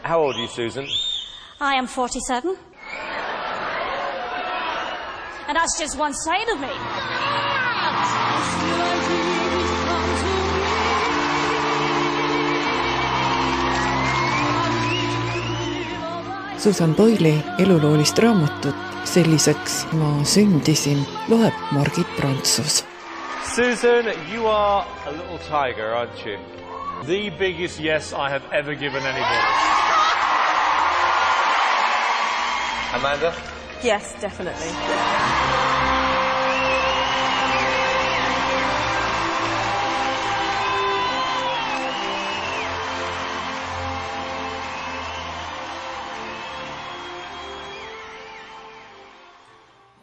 How old are you, Susan? I am 47. And that's just one side of me. Susan Boyle'i eluloolist raamatut Selliseks ma sündisin loeb Margit Prantsus. Susan, you are a little tiger, aren't you? The biggest yes I have ever given anybody. Amanda? Yes, definitely.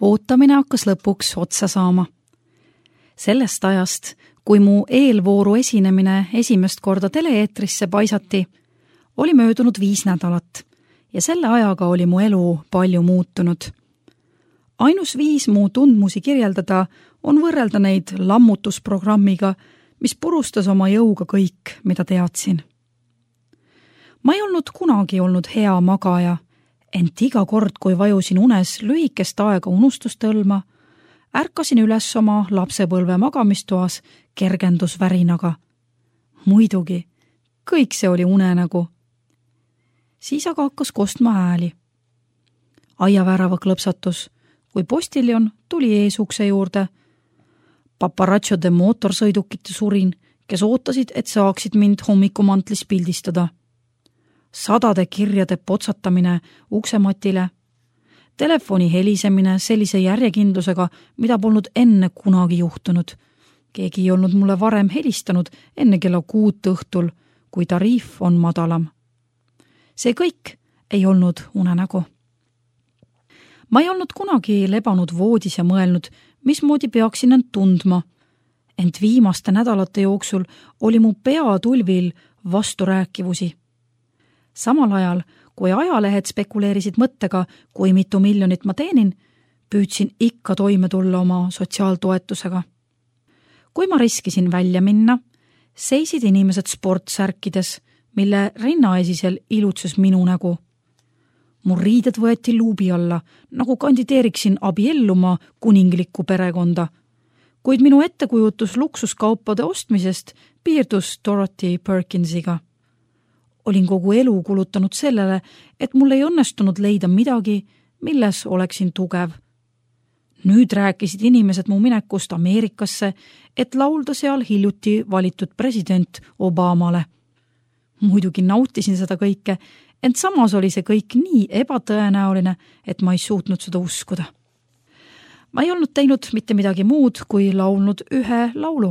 Ootamine hakkas lõpuks otsa saama. Sellest ajast, kui mu eelvooru esinemine esimest korda teleeetrisse paisati, oli möödunud 5 nädalat ja selle ajaga oli mu elu palju muutunud. Ainus viis mu tundmusi kirjeldada on võrrelda neid lammutusprogrammiga, mis purustas oma jõuga kõik, mida teadsin. Ma ei olnud kunagi olnud hea magaja, ent iga kord, kui vajusin unes lühikest aega unustustõlma, ärkasin üles oma lapsepõlve magamistoas kergendusvärinaga. Muidugi, kõik see oli unenägu. Siis aga hakkas kostma hääli. Aiavärava klõpsatus, kui postiljon tuli eesukse juurde. Paparatšode mootorsõidukite surin, kes ootasid, et saaksid mind hommikumantlis pildistada. 100 kirjade potsatamine uksematile, telefoni helisemine sellise järjekindlusega, mida polnud enne kunagi juhtunud. Keegi ei olnud mulle varem helistanud enne kella 6 õhtul, kui tariif on madalam. See kõik ei olnud unenägu. Ma ei olnud kunagi lebanud voodis ja mõelnud, mismoodi peaksin end tundma, ent viimaste nädalate jooksul oli mu peatulvil vasturääkivusi. Samal ajal, kui ajalehed spekuleerisid mõttega, kui mitu miljonit ma teenin, püüdsin ikka toime tulla oma sotsiaaltoetusega. Kui ma riskisin välja minna, seisid inimesed sportsärkides, mille rinnaesisel ilutses minu nägu. Mu riided võeti luubi alla, nagu kandideeriksin abielluma kuninglikku perekonda, kuid minu ettekujutus luksuskaupade ostmisest piirdus Dorothy Perkinsiga. Olin kogu elu kulutanud sellele, et mul ei õnnestunud leida midagi, milles oleksin tugev. Nüüd rääkisid inimesed mu minekust Ameerikasse, et laulda seal hiljuti valitud president Obamale. Muidugi nautisin seda kõike, ent samas oli see kõik nii ebatõenäoline, et ma ei suutnud seda uskuda. Ma ei olnud teinud mitte midagi muud, kui laulnud ühe laulu.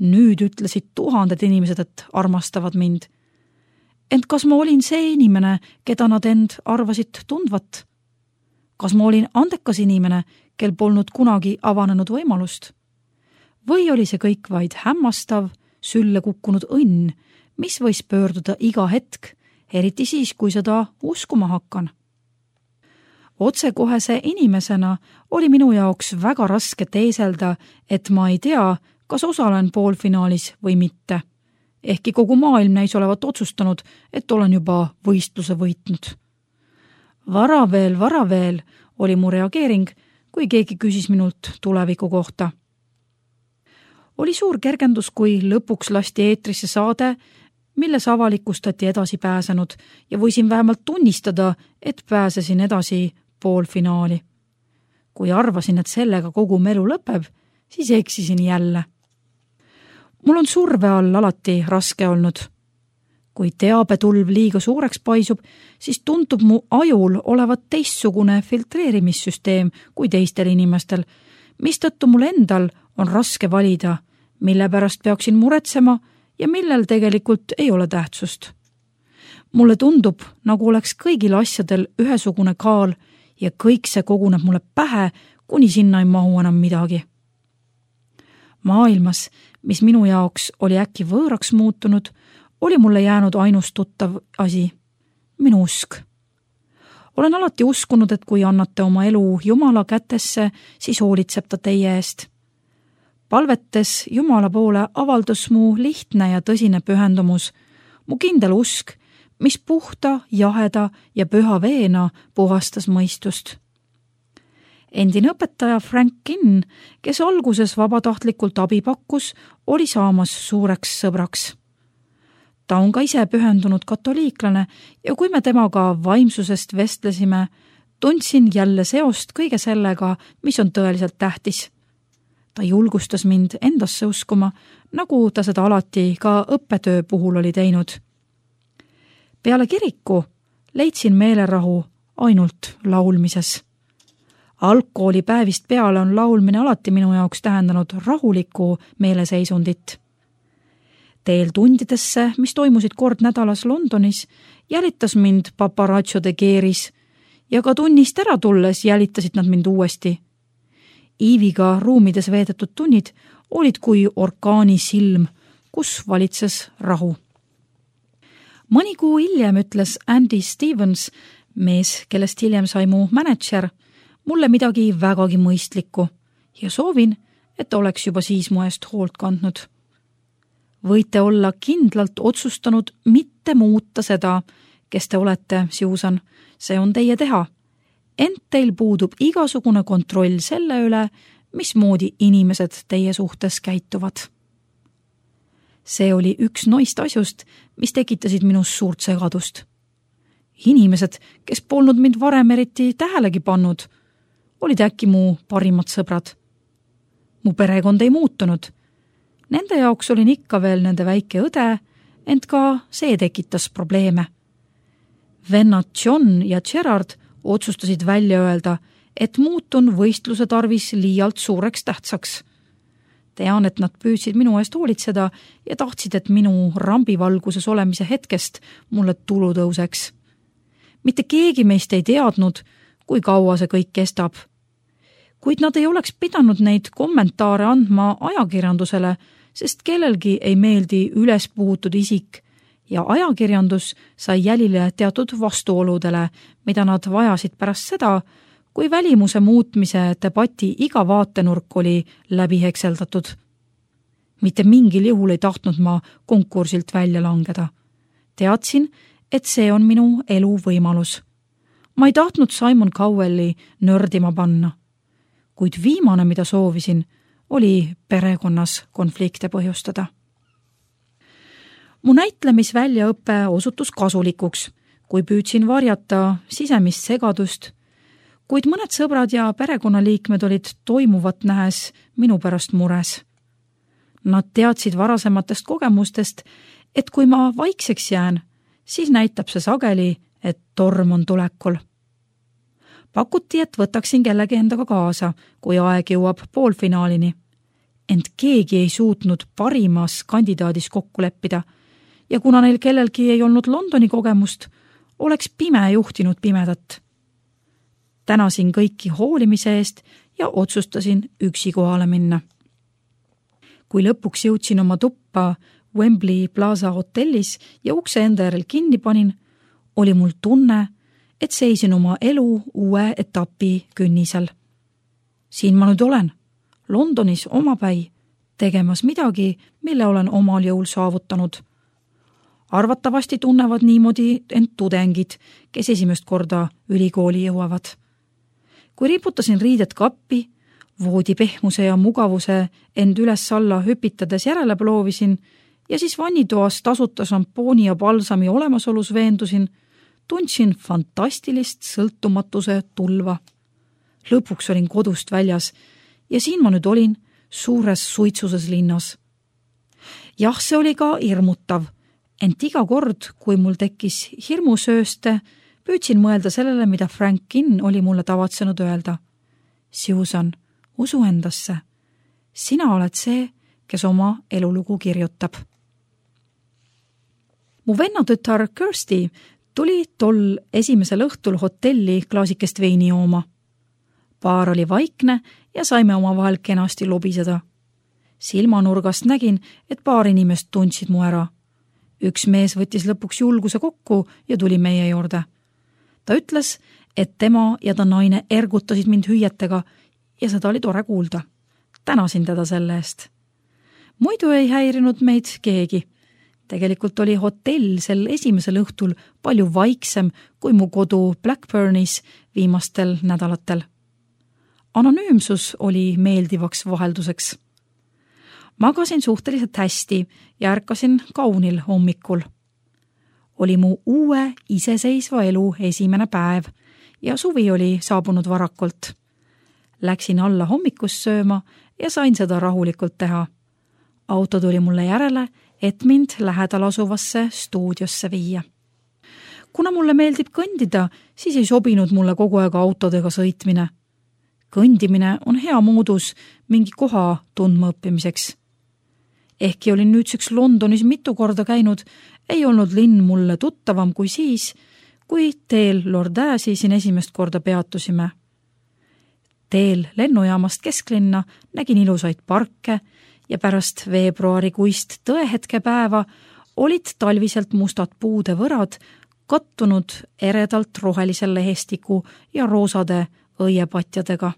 Nüüd ütlesid 1000 inimesed, et armastavad mind. Ent kas ma olin see inimene, keda nad end arvasid tundvat? Kas ma olin andekas inimene, kel polnud kunagi avanenud võimalust? Või oli see kõik vaid hämmastav, sülle kukkunud õnn, mis võis pöörduda iga hetk, eriti siis, kui seda uskuma hakkan? Otsekohese inimesena oli minu jaoks väga raske teeselda, et ma ei tea, kas osalen poolfinaalis või mitte. Ehkki kogu maailm näis olevat otsustanud, et olen juba võistluse võitnud. Vara veel, oli mu reageering, kui keegi küsis minult tuleviku kohta. Oli suur kergendus, kui lõpuks lasti eetrisse saade, milles avalikustati edasi pääsenud ja võisin vähemalt tunnistada, et pääsesin edasi poolfinaali. Kui arvasin, et sellega kogu melu lõpeb, siis eksisin jälle. Mul on surve all alati raske olnud. Kui teabetulv liiga suureks paisub, siis tuntub mu ajul olevat teistsugune filtreerimissüsteem kui teistel inimestel, mistõttu mul endal on raske valida, mille pärast peaksin muretsema ja millel tegelikult ei ole tähtsust. Mulle tundub, nagu oleks kõigil asjadel ühesugune kaal ja kõik see koguneb mulle pähe, kuni sinna ei mahu enam midagi. Maailmas, mis minu jaoks oli äkki võõraks muutunud, oli mulle jäänud ainus tuttav asi, minu usk. Olen alati uskunud, et kui annate oma elu Jumala kätesse, siis hoolitseb ta teie eest. Palvetes Jumala poole avaldus mu lihtne ja tõsine pühendumus, mu kindel usk, mis puhta, jaheda ja püha veena puhastas mõistust. Endine õpetaja Frank Kinn, kes alguses vabatahtlikult abi pakkus, oli saamas suureks sõbraks. Ta on ka ise pühendunud katoliiklane ja kui me temaga vaimsusest vestlesime, tundsin jälle seost kõige sellega, mis on tõeliselt tähtis. Ta julgustas mind endasse uskuma, nagu ta seda alati ka õppetöö puhul oli teinud. Peale kiriku leidsin meelerahu ainult laulmises. Algkoolipäevist peale on laulmine alati minu jaoks tähendanud rahulikku meeleseisundit. Teel tundidesse, mis toimusid kord nädalas Londonis, jälitas mind paparazziode keeris ja ka tunnist ära tulles jälitasid nad mind uuesti. Iiviga ruumides veedetud tunnid olid kui orkaani silm, kus valitses rahu. Mõni kuu hiljem ütles Andy Stevens, mees, kellest hiljem sai mu mänedžer, mulle midagi vägagi mõistlikku ja soovin, et oleks juba siis mu eest hoolt kandnud. Võite olla kindlalt otsustanud mitte muuta seda, kes te olete, Susan, see on teie teha. Ent teil puudub igasugune kontroll selle üle, mismoodi inimesed teie suhtes käituvad. See oli üks noist asjust, mis tekitasid minus suurt segadust. Inimesed, kes polnud mind varem eriti tähelegi pannud, olid äkki mu parimad sõbrad. Mu perekond ei muutunud. Nende jaoks olin ikka veel nende väike õde, ent ka see tekitas probleeme. Vennad John ja Gerard otsustasid välja öelda, et muutun võistluse tarvis liialt suureks tähtsaks. Tean, et nad püüdsid minu eest hoolitseda ja tahtsid, et minu rambivalguses olemise hetkest mulle tulu tõuseks. Mitte keegi meist ei teadnud, kui kaua see kõik kestab. Kuid nad ei oleks pidanud neid kommentaare andma ajakirjandusele, sest kellelgi ei meeldi ülespuhutud isik ja ajakirjandus sai jälile teatud vastuoludele, mida nad vajasid pärast seda, kui välimuse muutmise debati iga vaatenurk oli läbi hekseldatud. Mitte mingil juhul ei tahtnud ma konkursilt välja langeda. Teadsin, et see on minu elu võimalus. Ma ei tahtnud Simon Cowelli nördima panna. Kuid viimane, mida soovisin, oli perekonnas konflikte põhjustada. Mu näitlemisväljaõpe osutus kasulikuks, kui püüdsin varjata sisemist segadust, kuid mõned sõbrad ja perekonnaliikmed olid toimuvat nähes minu pärast mures. Nad teadsid varasematest kogemustest, et kui ma vaikseks jään, siis näitab see sageli, et torm on tulekul. Pakuti, et võtaksin kellegi endaga kaasa, kui aeg jõuab poolfinaalini. Ent keegi ei suutnud parimas kandidaadis kokku leppida ja kuna neil kellelgi ei olnud Londoni kogemust, oleks pime juhtinud pimedat. Tänasin kõiki hoolimise eest ja otsustasin üksi kohale minna. Kui lõpuks jõudsin oma tuppa Wembley Plaza hotellis ja ukse enda järel kinni panin, oli mul tunne, et seisin oma elu uue etapi künnisel. Siin ma nüüd olen, Londonis omapäi, tegemas midagi, mille olen omal jõul saavutanud. Arvatavasti tunnevad niimoodi end tudengid, kes esimest korda ülikooli jõuavad. Kui riputasin riided kappi, voodi pehmuse ja mugavuse end üles-alla hüpitades järele ploovisin ja siis vannitoas tasuta šampooni ja balsami olemasolus veendusin, tundsin fantastilist sõltumatuse tulva. Lõpuks olin kodust väljas ja siin ma nüüd olin suures suitsuses linnas. Jah, see oli ka hirmutav, ent iga kord, kui mul tekkis hirmusööste, püüdsin mõelda sellele, mida Frank Kinn oli mulle tavatsenud öelda. Susan, usu endasse. Sina oled see, kes oma elulugu kirjutab. Mu vennatütar Kirsty tuli tol esimesel õhtul hotelli klaasikest veini jooma. Paar oli vaikne ja saime omavahel kenasti lobiseda. Silmanurgast nägin, et paar inimest tundsid mu ära. Üks mees võttis lõpuks julguse kokku ja tuli meie juurde. Ta ütles, et tema ja ta naine ergutasid mind hüüetega ja seda oli tore kuulda. Tänasin teda selle eest. Muidu ei häirinud meid keegi. Tegelikult oli hotell sel esimesel õhtul palju vaiksem kui mu kodu Blackburnis viimastel nädalatel. Anonüümsus oli meeldivaks vahelduseks. Magasin suhteliselt hästi ja ärkasin kaunil hommikul. Oli mu uue iseseisva elu esimene päev ja suvi oli saabunud varakult. Läksin alla hommikust sööma ja sain seda rahulikult teha. Auto tuli mulle järele, et mind lähedal asuvasse stuudiosse viia. Kuna mulle meeldib kõndida, siis ei sobinud mulle kogu aeg autodega sõitmine. Kõndimine on hea moodus mingi koha tundma õppimiseks. Ehkki olin nüüdseks Londonis mitu korda käinud, ei olnud linn mulle tuttavam kui siis, kui teel Lord Assi siin esimest korda peatusime. Teel lennujaamast kesklinna nägin ilusaid parke ja pärast veebruarikuist tõehetke päeva olid talviselt mustad puude võrad kattunud eredalt rohelise lehestiku ja roosade õiepatjadega.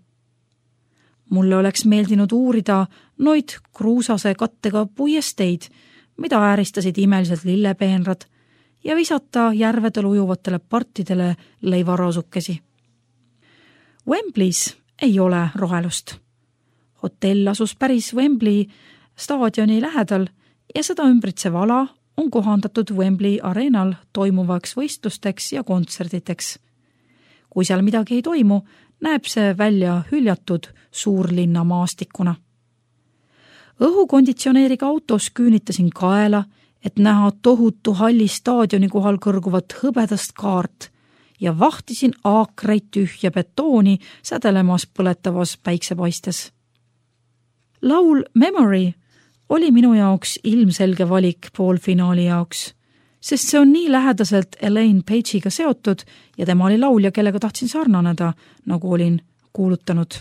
Mulle oleks meeldinud uurida noid kruusase kattega puiesteid, mida ääristasid imeliselt lillepeenrad ja visata järvedel ujuvatele partidele leivarasukesi. Wembleys ei ole rohelust. Hotell asus päris Wembley staadioni lähedal ja seda ümbritsev ala on kohandatud Wembley areenal toimuvaks võistlusteks ja kontserditeks. Kui seal midagi ei toimu, näeb see välja hüljatud suurlinna maastikuna. Õhukonditsioneeriga autos küünitasin kaela, et näha tohutu halli staadioni kohal kõrguvat hõbedast kaart ja vahtisin aakreid tühja betooni sädelemas põletavas päiksepaistes. Laul Memory oli minu jaoks ilmselge valik poolfinaali jaoks, sest see on nii lähedaselt Elaine Page'iga seotud ja tema oli laulja, kellega tahtsin sarnaneda, nagu olin kuulutanud.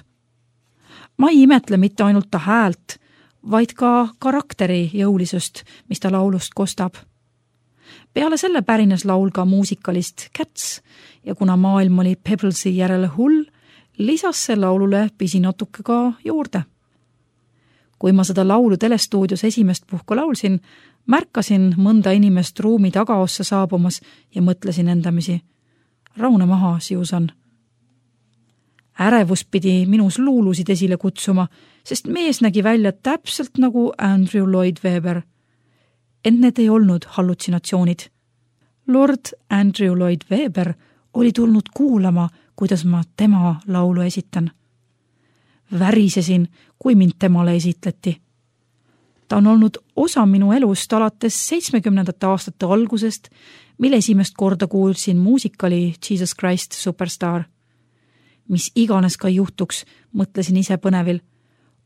Ma ei imetle mitte ainult ta häält, vaid ka karakteri jõulisust, mis ta laulust kostab. Peale selle pärines laul ka muusikalist Cats ja kuna maailm oli Pebblesi järele hull, lisas see laulule pisinatuke ka juurde. Kui ma seda laulu telestuudios esimest puhku laulsin, märkasin mõnda inimest ruumi tagaossa saabumas ja mõtlesin endamisi. Raune maha, Susan. Ärevus pidi minus luulusid esile kutsuma, sest mees nägi välja täpselt nagu Andrew Lloyd Webber. Ent need ei olnud hallutsinatsioonid. Lord Andrew Lloyd Webber oli tulnud kuulama, kuidas ma tema laulu esitan. Värisesin, kui mind temale esitleti. Ta on olnud osa minu elust alates 70. aastate algusest, mille esimest korda kuulsin muusikali Jesus Christ Superstar. Mis iganes ka juhtuks, mõtlesin ise põnevil.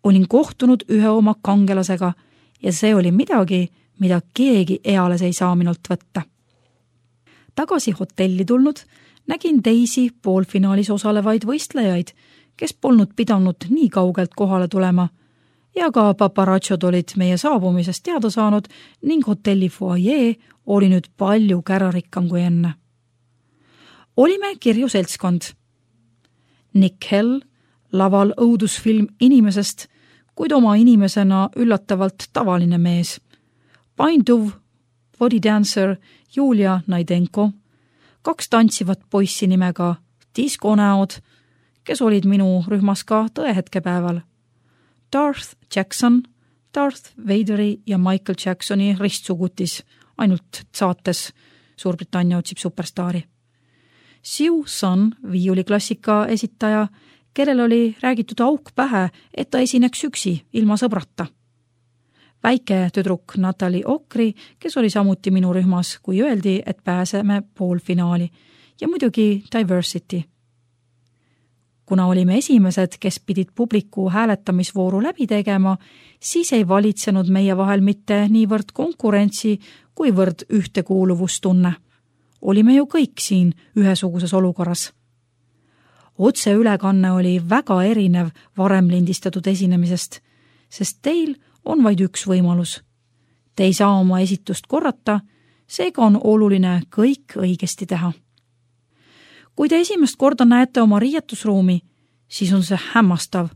Olin kohtunud ühe oma kangelasega ja see oli midagi, mida keegi eales ei saa minult võtta. Tagasi hotelli tulnud nägin teisi poolfinaalis osalevaid võistlejaid, kes polnud pidanud nii kaugelt kohale tulema ja ka paparatšod olid meie saabumisest teada saanud ning hotelli foajee oli nüüd palju kärarikkam kui enne. Olime kirju seltskond. Nick Hell, laval õudusfilm inimesest, kuid oma inimesena üllatavalt tavaline mees. Painduv bodydancer Julia Naidenko, 2 tantsivat poissi nimega diskonäod, kes olid minu rühmas ka tõehetkepäeval. Darth Jackson, Darth Vaderi ja Michael Jacksoni ristsugutis, ainult saates Suurbritannia otsib superstaari. Siu Sun, viiuliklassika esitaja, kellel oli räägitud auk pähe, et ta esineks üksi, ilma sõbrata. Väike tüdruk Natalie Okri, kes oli samuti minu rühmas, kui öeldi, et pääseme poolfinaali ja muidugi Diversity. Kuna olime esimesed, kes pidid publiku hääletamisvooru läbi tegema, siis ei valitsenud meie vahel mitte niivõrd konkurentsi, kuivõrd ühtekuuluvustunne. Olime ju kõik siin ühesuguses olukorras. Otseülekanne oli väga erinev varem lindistatud esinemisest, sest teil on vaid üks võimalus. Te ei saa oma esitust korrata, seega on oluline kõik õigesti teha. Kui te esimest korda näete oma riietusruumi, siis on see hämmastav,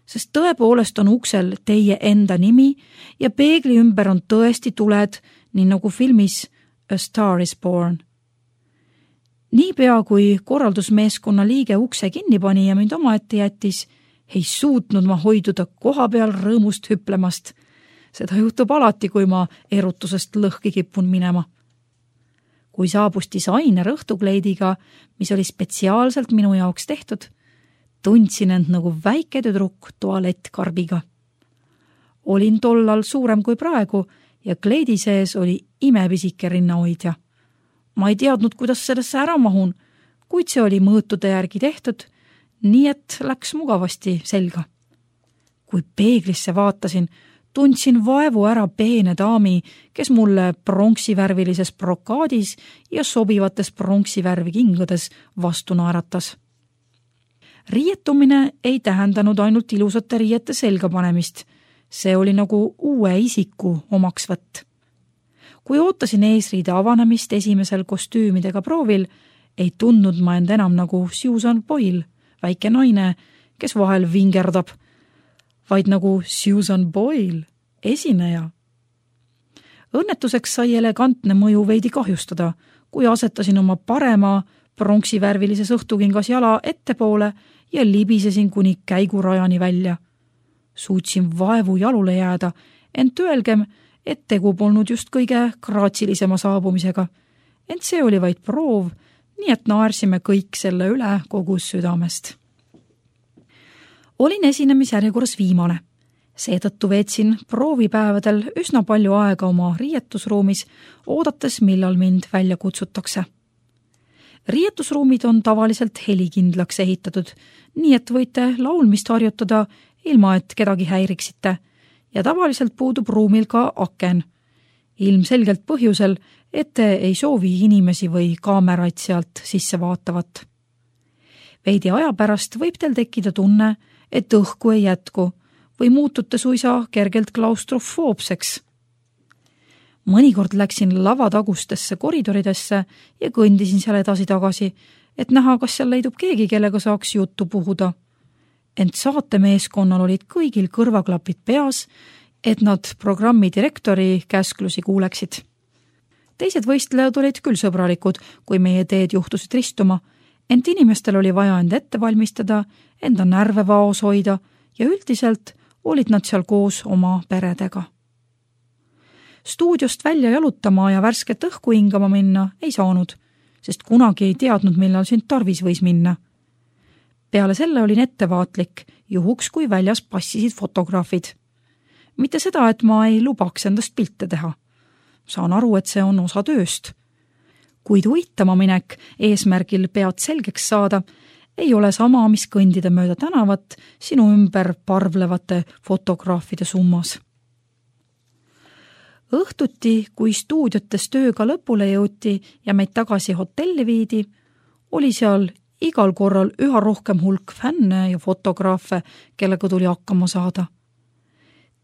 sest tõepoolest on uksel teie enda nimi ja peegli ümber on tõesti tuled nii nagu filmis A Star is Born. Niipea kui korraldusmeeskonna liige ukse kinni pani ja mind omaette jättis, ei suutnud ma hoiduda koha peal rõõmust hüplemast. Seda juhtub alati, kui ma erutusest lõhki kipun minema. Kui saabus disainer õhtukleidiga, mis oli spetsiaalselt minu jaoks tehtud, tundsin end nagu väike tüdruk tualettkarbiga. Olin tollal suurem kui praegu ja kleidi sees oli imepisike rinnahoidja. Ma ei teadnud, kuidas sellesse ära mahun, kuid see oli mõõtude järgi tehtud, nii et läks mugavasti selga. Kui peeglisse vaatasin, tundsin vaevu ära peene daami, kes mulle pronksivärvilises brokaadis ja sobivates pronksivärvi kingades vastu naeratas. Riietumine ei tähendanud ainult ilusate riiete selga panemist. See oli nagu uue isiku omaksvõtt. Kui ootasin eesriide avanemist esimesel kostüümidega proovil, ei tundnud ma end enam nagu Susan Boyle, väike naine, kes vahel vingerdab, vaid nagu Susan Boyle, esineja. Õnnetuseks sai elegantne mõju veidi kahjustada, kui asetasin oma parema pronksivärvilises õhtukingas jala ettepoole ja libisesin kuni käigurajani välja. Suutsin vaevu jalule jääda, ent öelgem, et tegu polnud just kõige graatsilisema saabumisega. Ent see oli vaid proov, nii et naersime kõik selle üle kogu südamest. Olin esinemisjärjekorras viimane. Seetõttu veetsin proovipäevadel üsna palju aega oma riietusruumis, oodates, millal mind välja kutsutakse. Riietusruumid on tavaliselt helikindlaks ehitatud, nii et võite laulmist harjutada, ilma et kedagi häiriksite, ja tavaliselt puudub ruumil ka aken. Ilmselgelt põhjusel, et te ei soovi inimesi või kaameraid sealt sisse vaatavat. Veidi aja pärast võib teil tekkida tunne, et õhku ei jätku või muutute suisa kergelt klaustrofoobseks. Mõnikord läksin lavatagustesse koridoridesse ja kõndisin seal edasi-tagasi, et näha, kas seal leidub keegi, kellega saaks juttu puhuda. Ent saatemeeskonnal olid kõigil kõrvaklapid peas, et nad programmi direktori käsklusi kuuleksid. Teised võistlejad olid küll sõbralikud, kui meie teed juhtusid ristuma, ent inimestel oli vaja end ette valmistada, enda närve vaos hoida ja üldiselt olid nad seal koos oma peredega. Stuudiost välja jalutama ja värsket õhku hingama minna ei saanud, sest kunagi ei teadnud, millal sind tarvis võis minna. Peale selle olin ettevaatlik, juhuks kui väljas passisid fotograafid. Mitte seda, et ma ei lubaks endast pilte teha. Saan aru, et see on osa tööst. Kuid uitama minek eesmärgil pead selgeks saada, ei ole sama, mis kõndida mööda tänavat sinu ümber parvlevate fotograafide summas. Õhtuti, kui stuudiotes tööga lõpule jõuti ja meid tagasi hotelli viidi, oli seal igal korral üha rohkem hulk fänne ja fotograafe, kellega tuli hakkama saada.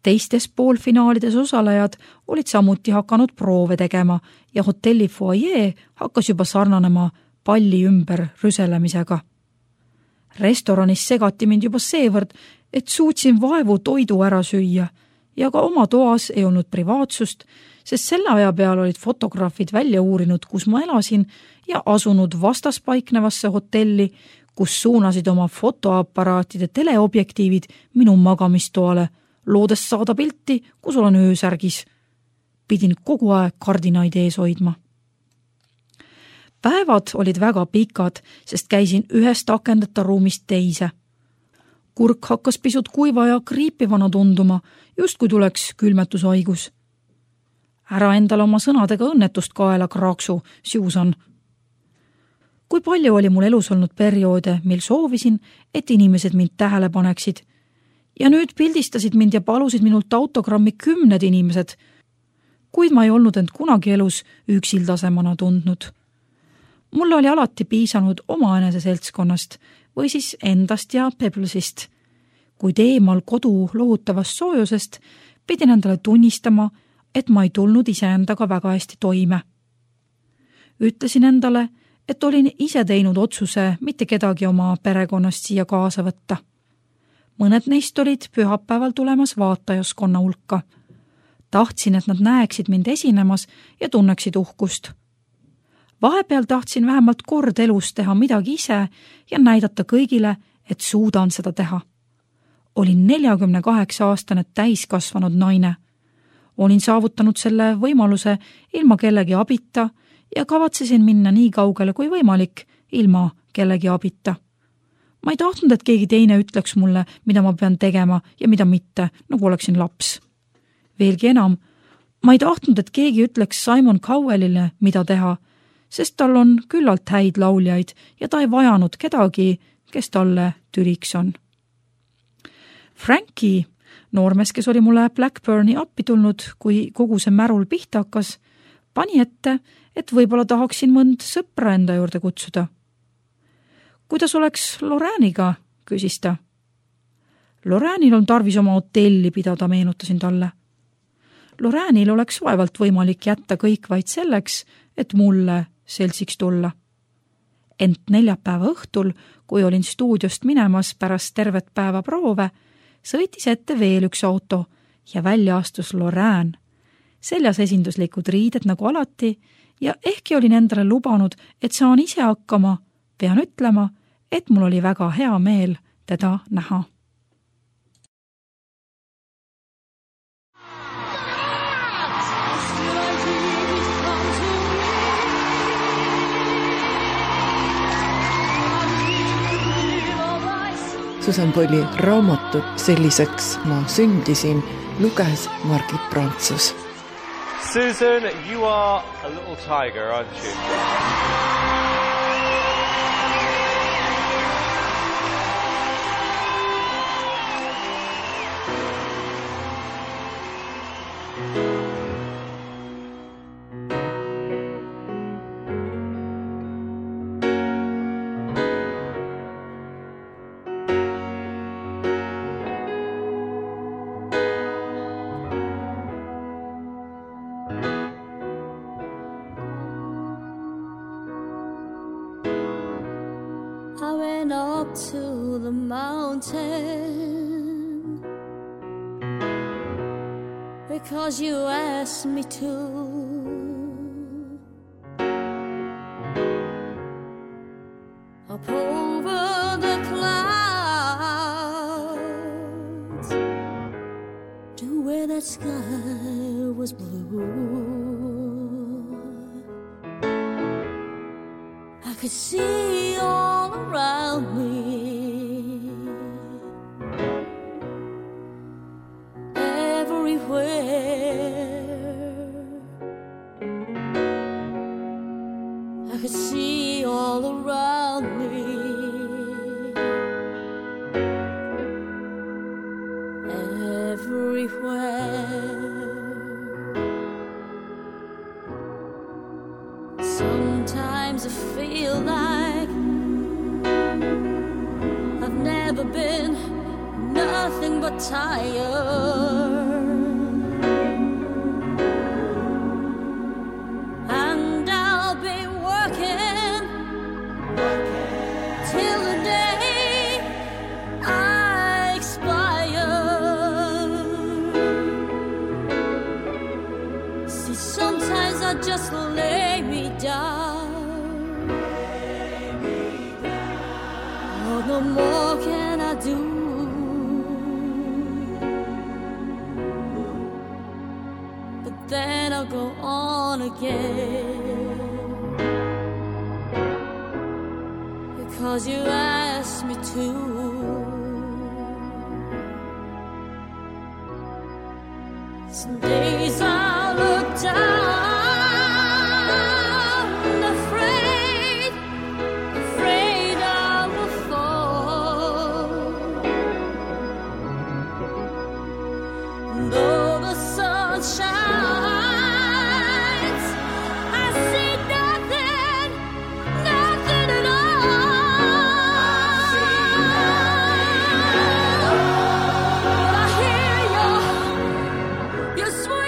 Teistes poolfinaalides osalejad olid samuti hakanud proove tegema ja hotelli foajee hakkas juba sarnanema palli ümber rüselemisega. Restoranis segati mind juba seevõrd, et suutsin vaevu toidu ära süüa ja ka oma toas ei olnud privaatsust, sest selle aja peal olid fotograafid välja uurinud, kus ma elasin ja asunud vastaspaiknevasse hotelli, kus suunasid oma fotoaparaatide teleobjektiivid minu magamistoale, loodes saada pilti, kus olen öösärgis. Pidin kogu aeg kardinaid ees hoidma. Päevad olid väga pikad, sest käisin ühest akendeta ruumist teise. Kurk hakkas pisut kuiva ja kriipivana tunduma, just kui tuleks külmetushaigus. Ära endale oma sõnadega õnnetust kaela, kraaksu, Susan. Kui palju oli mul elus olnud perioode, mil soovisin, et inimesed mind tähele paneksid. Ja nüüd pildistasid mind ja palusid minult autogrammi 10 inimesed, kuid ma ei olnud end kunagi elus üksildasemana tundnud. Mulle oli alati piisanud omaenese seltskonnast või siis endast ja Pebblesist. Kuid eemal kodu lohutavast soojusest pidin endale tunnistama, et ma ei tulnud iseendaga väga hästi toime. Ütlesin endale, et olin ise teinud otsuse mitte kedagi oma perekonnast siia kaasa võtta. Mõned neist olid pühapäeval tulemas vaatajaskonna hulka. Tahtsin, et nad näeksid mind esinemas ja tunneksid uhkust. Vahepeal tahtsin vähemalt kord elus teha midagi ise ja näidata kõigile, et suudan seda teha. Olin 48-aastane täiskasvanud naine. Olin saavutanud selle võimaluse ilma kellegi abita ja kavatsesin minna nii kaugele kui võimalik ilma kellegi abita. Ma ei tahtnud, et keegi teine ütleks mulle, mida ma pean tegema ja mida mitte, nagu oleksin laps. Veelgi enam, ma ei tahtnud, et keegi ütleks Simon Cowellile, mida teha, sest tal on küllalt häid lauljaid ja ta ei vajanud kedagi, kes talle tüliks on. Frankie, noormees, kes oli mulle Blackburni appi tulnud, kui kogu see märul pihta hakkas, pani ette, et võib-olla tahaksin mõnd sõpra enda juurde kutsuda. Kuidas oleks Lorraine'iga, küsis ta. Lorraine'il on tarvis oma hotelli pidada, meenutasin talle. Lorraine'il oleks vaevalt võimalik jätta kõik vaid selleks, et mulle seltsiks tulla. Ent neljapäeva õhtul, kui olin stuudiost minemas pärast tervet päeva proove, sõitis ette veel üks auto ja välja astus Lorraine. Seljas esinduslikud riided nagu alati ja ehkki olin endale lubanud, et saan ise hakkama, pean ütlema, et mul oli väga hea meel teda näha. Susan Boyle'i raamatut Selliseks ma sündisin luges Margit Prantsus. Susan, you are a little tiger, aren't you? I went up to the mountain because you asked me to. Up over the clouds to where that sky was blue. I could see all around me, everywhere. I could see all around me, everywhere. Sometimes I feel like I've never been nothing but tired, and I'll be working till the day I expire. See, sometimes I just lay me down. Oh, no more can I do. But then I'll go on again, because you asked me to. Some days I look down, afraid I will fall. Though the sun shines, I see nothing at all. But I hear your sweet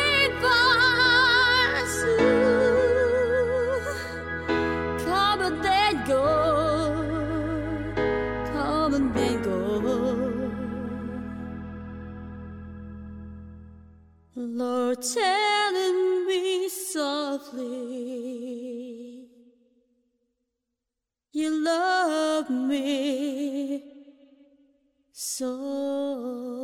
telling me softly you love me so.